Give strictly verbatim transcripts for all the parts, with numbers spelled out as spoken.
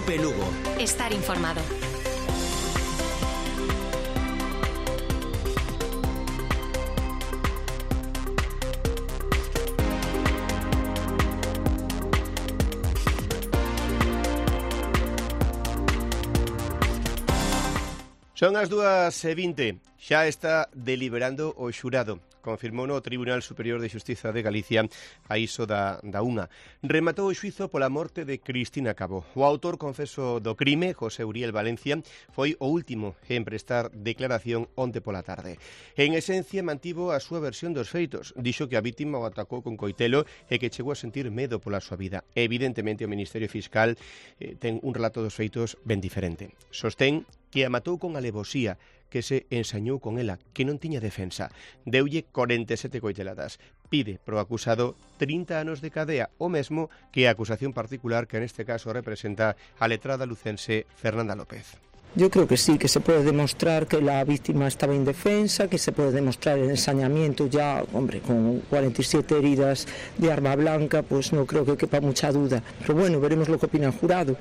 Cope Lugo. Estar informado. Son as dúas e vinte. Xa está deliberando o xurado. Confirmou no Tribunal Superior de Xustiza de Galicia a iso da, da unha. Rematou o xuizo pola morte de Cristina Cabo. O autor confeso do crime, José Uriel Valencia, foi o último en prestar declaración onte pola tarde. En esencia, mantivo a súa versión dos feitos. Dixo que a vítima o atacou con coitelo e que chegou a sentir medo pola súa vida. Evidentemente, o Ministerio Fiscal eh, ten un relato dos feitos ben diferente. Sostén que a matou con alevosía, que se ensañou con ela, que non tiña defensa. Deulle corenta e sete coiteladas. Pide pro acusado trinta anos de cadea, o mesmo que a acusación particular que neste caso representa a letrada lucense Fernanda López. Yo creo que sí, que se puede demostrar que la víctima estaba indefensa, que se puede demostrar el ensañamiento ya, hombre, con cuarenta y siete heridas de arma blanca, pues no creo que quepa mucha duda. Pero bueno, veremos lo que opina el jurado.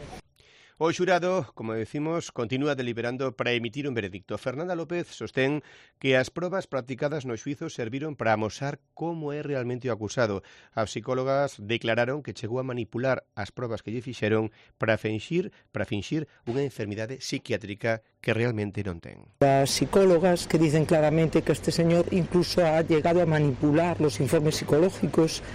O xurado, como decimos, continúa deliberando para emitir un veredicto. Fernanda López sostén que as probas practicadas no xuizo serviron para amosar como é realmente o acusado. As psicólogas declararon que chegou a manipular as probas que lle fixeron para finxir, para finxir unha enfermidade psiquiátrica que realmente non ten. Las psicólogas que dicen claramente que este señor incluso ha llegado a manipular los informes psicológicos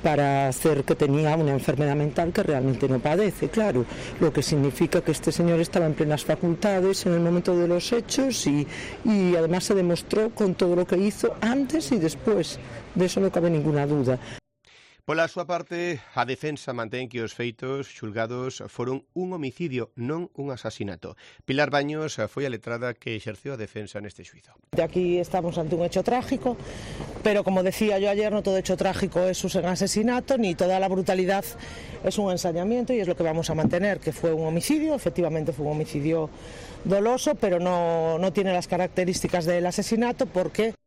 para hacer que tenía una enfermedad mental que realmente no padece, claro, lo que significa que este señor estaba en plenas facultades en el momento de los hechos y, y además se demostró con todo lo que hizo antes y después, de eso no cabe ninguna duda. Pola súa parte, a defensa mantén que os feitos xulgados foron un homicidio, non un asasinato. Pilar Baños foi a letrada que exerceu a defensa neste xuizo. De aquí estamos ante un hecho trágico, pero como decía yo ayer, no todo hecho trágico es un asesinato, ni toda la brutalidad es un ensañamiento, y es lo que vamos a mantener, que fue un homicidio, efectivamente fue un homicidio doloso, pero no, no tiene las características del asesinato porque...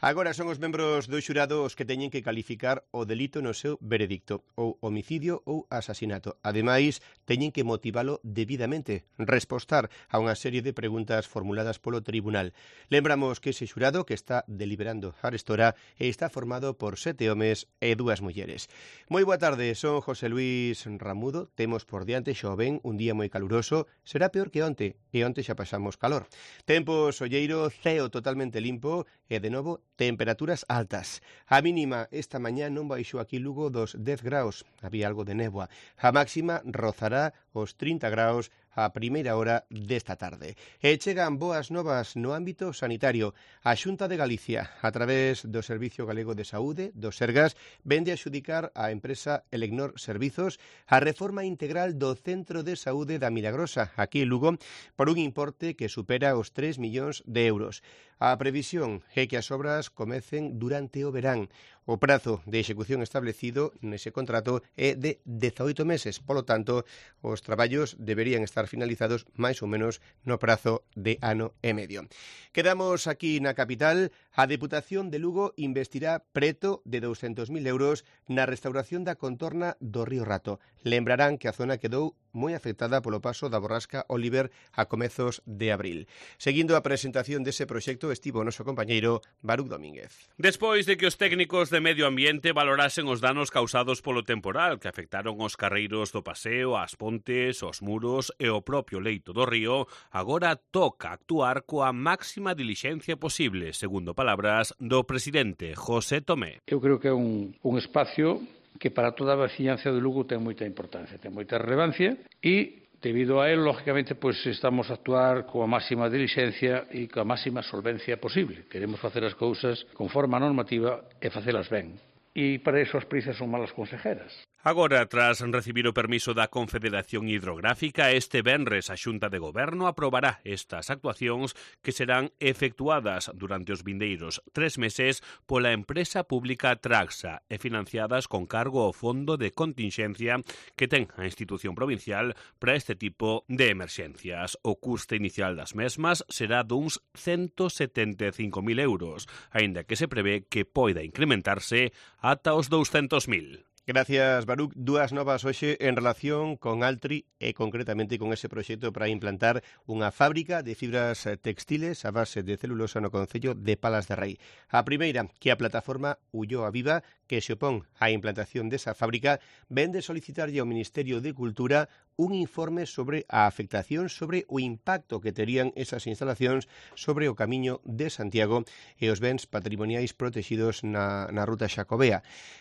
Agora son os membros do xurado os que teñen que calificar o delito no seu veredicto, ou homicidio ou asasinato. Ademais, teñen que motivalo debidamente, respostar a unha serie de preguntas formuladas polo tribunal. Lembramos que ese xurado que está deliberando arestora está formado por sete homes e dúas mulleres. Moi boa tarde, son José Luis Ramudo, temos por diante xoven un día moi caluroso, será peor que onte, e onte xa pasamos calor. Tempo solleiro, ceo totalmente limpo e de novo temperaturas altas. A mínima esta mañá non baixou aquí Lugo dos dez graus, había algo de néboa. A máxima rozará os trinta graus a primeira hora desta tarde. E chegan boas novas no ámbito sanitario. A Xunta de Galicia, a través do Servicio Galego de Saúde, do Sergas, vende a xudicar a empresa Elecnor Servizos a reforma integral do Centro de Saúde da Milagrosa, aquí en Lugo, por un importe que supera os tres millóns de euros. A previsión é que as obras comecen durante o verán. O prazo de execución establecido nese contrato é de dezaoito meses, polo tanto, os traballos deberían estar finalizados máis ou menos no prazo de ano e medio. Quedamos aquí na capital. A Deputación de Lugo investirá preto de douscentos mil euros na restauración da contorna do Río Rato. Lembrarán que a zona quedou moi afectada polo paso da borrasca Oliver a comezos de abril. Seguindo a presentación dese proxecto estivo o noso compañeiro Baruch Domínguez. Despois de que os técnicos de Medio Ambiente valorasen os danos causados polo temporal que afectaron os carreiros do paseo, as pontes, os muros e o propio leito do río, agora toca actuar coa máxima dilixencia posible, segundo palabras do presidente José Tomé. Eu creo que é un, un espacio que para toda a veciñanza de Lugo ten moita importancia, ten moita relevancia e debido a él, lógicamente, pues estamos a actuar coa máxima dilixencia e coa máxima solvencia posible. Queremos facer as cousas conforme a normativa e facelas ben. E para iso as prisas son malas consejeras. Agora, tras recibir o permiso da Confederación Hidrográfica, este venres a Xunta de Goberno aprobará estas actuacións que serán efectuadas durante os vindeiros tres meses pola empresa pública Traxa e financiadas con cargo ao Fondo de Continxencia que ten a institución provincial para este tipo de emerxencias. O custe inicial das mesmas será duns ciento setenta e cinco mil euros, aínda que se prevé que poida incrementarse ata os douscentos mil. Gracias, Baruch. Dúas novas hoxe en relación con Altri e concretamente con ese proxecto para implantar unha fábrica de fibras textiles a base de celulosa no concello de Palas de Rei. A primeira, que a plataforma Ulloa Viva, que se opón á implantación desa fábrica, ven de solicitarlle ao Ministerio de Cultura un informe sobre a afectación sobre o impacto que terían esas instalacións sobre o camiño de Santiago e os bens patrimoniais protegidos na, na ruta Xacobea.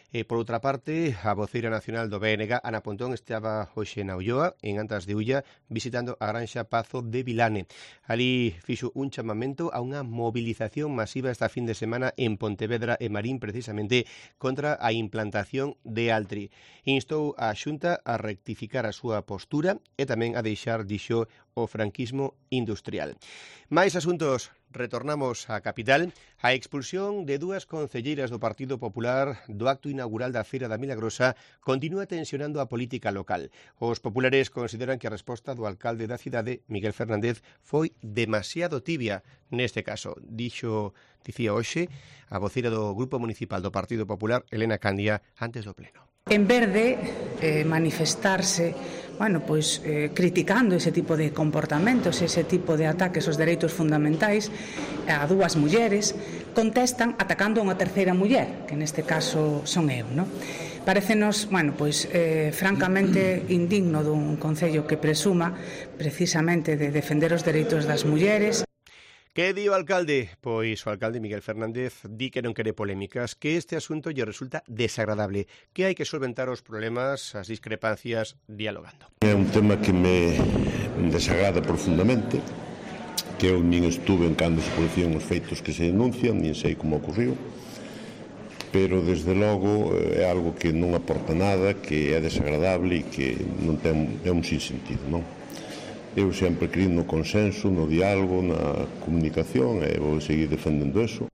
E, por outra parte, a voceira nacional do B N G, Ana Pontón, estaba hoxe na Ulloa, en Antas de Ulla, visitando a granxa Pazo de Vilane. Ali fixo un chamamento a unha movilización masiva esta fin de semana en Pontevedra e Marín, precisamente contra a implantación de Altri. Instou a Xunta a rectificar a súa postura e tamén a deixar, dixo, o franquismo industrial. Mais asuntos. Retornamos á capital. A expulsión de dúas concelleiras do Partido Popular do acto inaugural da Feira da Milagrosa continúa tensionando a política local. Os populares consideran que a resposta do alcalde da cidade, Miguel Fernández, foi demasiado tibia neste caso. Dixo, dicía hoxe, a voceira do Grupo Municipal do Partido Popular, Elena Candia, antes do pleno. En vez de eh, manifestarse, bueno, pois, eh, criticando ese tipo de comportamentos, ese tipo de ataques aos dereitos fundamentais a dúas mulleres, contestan atacando a unha terceira muller, que neste caso son eu, non? Parécenos, bueno, pois, eh, francamente indigno dun concello que presuma precisamente de defender os dereitos das mulleres. Que di o alcalde? Pois o alcalde Miguel Fernández di que non quere polémicas, que este asunto lle resulta desagradable, que hai que solventar os problemas, as discrepancias, dialogando. É un tema que me desagrada profundamente, que eu nin estuve en cando se producían os feitos que se denuncian, nin sei como ocurriu, pero desde logo é algo que non aporta nada, que é desagradable e que non ten, é un sinsentido, non? Eu sempre creo no consenso, no diálogo, na comunicación e vou seguir defendendo eso.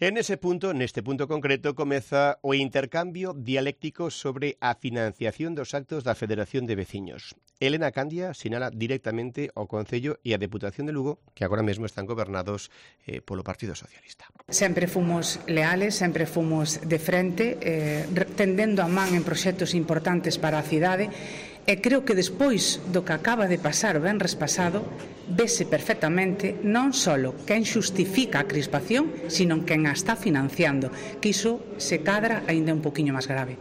En ese punto, neste punto concreto, comeza o intercambio dialéctico sobre a financiación dos actos da Federación de Veciños. Elena Candia sinala directamente ao Concello e a Deputación de Lugo, que agora mesmo están gobernados eh, polo Partido Socialista. Sempre fomos leales, sempre fomos de frente, eh, tendendo a man en proxectos importantes para a cidade. E creo que despois do que acaba de pasar o venres pasado, vese perfectamente non só quen xustifica a crispación, sino quen a está financiando, que iso se cadra aínda un poquinho máis grave.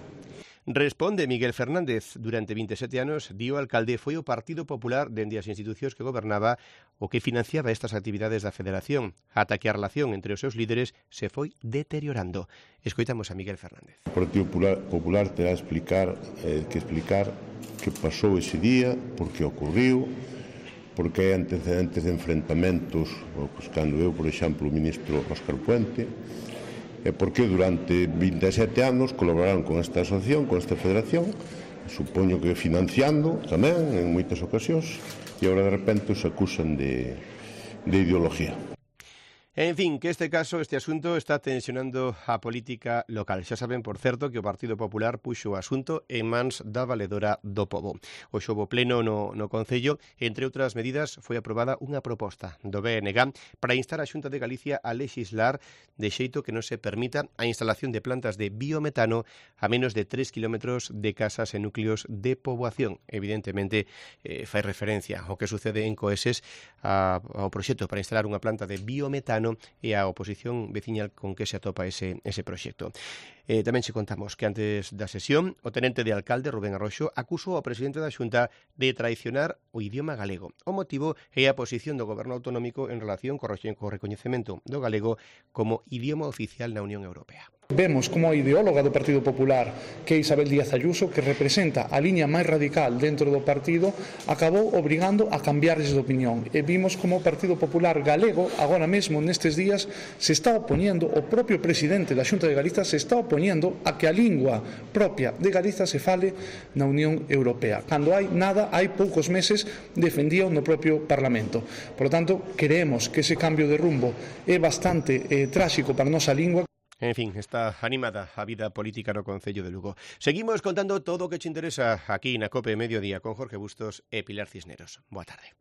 Responde Miguel Fernández. Durante vinte e sete anos, dio alcalde, foi o Partido Popular dende as institucións que gobernaba o que financiaba estas actividades da Federación, ata que a relación entre os seus líderes se foi deteriorando. Escoitamos a Miguel Fernández. O Partido Popular, Popular terá explicar, eh, que explicar que pasou ese día, por que ocurriu, porque hai antecedentes de enfrentamentos, pues, cando eu, por exemplo, o ministro Óscar Puente, e porque durante vinte e sete anos colaboraron con esta asociación, con esta federación, supoño que financiando tamén en moitas ocasións, e agora de repente os acusan de, de ideología. En fin, que este caso, este asunto está tensionando a política local. Xa saben, por certo, que o Partido Popular puxo o asunto en mans da valedora do pobo. O xovo pleno no, no Concello, entre outras medidas, foi aprobada unha proposta do B N G para instar a Xunta de Galicia a legislar de xeito que non se permita a instalación de plantas de biometano a menos de tres kilómetros de casas e núcleos de poboación. Evidentemente, eh, fai referencia ao que sucede en Coeses a, ao proxecto para instalar unha planta de biometano e a oposición veciñal con que se atopa ese, ese proxecto. Eh, tamén se contamos que antes da sesión o tenente de alcalde Rubén Arroxo acusou ao presidente da Xunta de traicionar o idioma galego. O motivo é a posición do goberno autonómico en relación co recoñecemento do galego como idioma oficial na Unión Europea. Vemos como a ideóloga do Partido Popular, que é Isabel Díaz Ayuso, que representa a liña máis radical dentro do partido, acabou obrigando a cambiarles de opinión. E vimos como o Partido Popular galego, agora mesmo nestes días, se está opoñendo, o propio presidente da Xunta de Galiza se está opoñendo a que a lingua propia de Galiza se fale na Unión Europea. Cando hai nada, hai poucos meses, defendía no propio Parlamento. Por lo tanto, creemos que ese cambio de rumbo é bastante eh, tráxico para a nosa lingua. En fin, está animada a vida política no Concello de Lugo. Seguimos contando todo o que te interesa aquí na COPE Mediodía con Jorge Bustos e Pilar Cisneros. Boa tarde.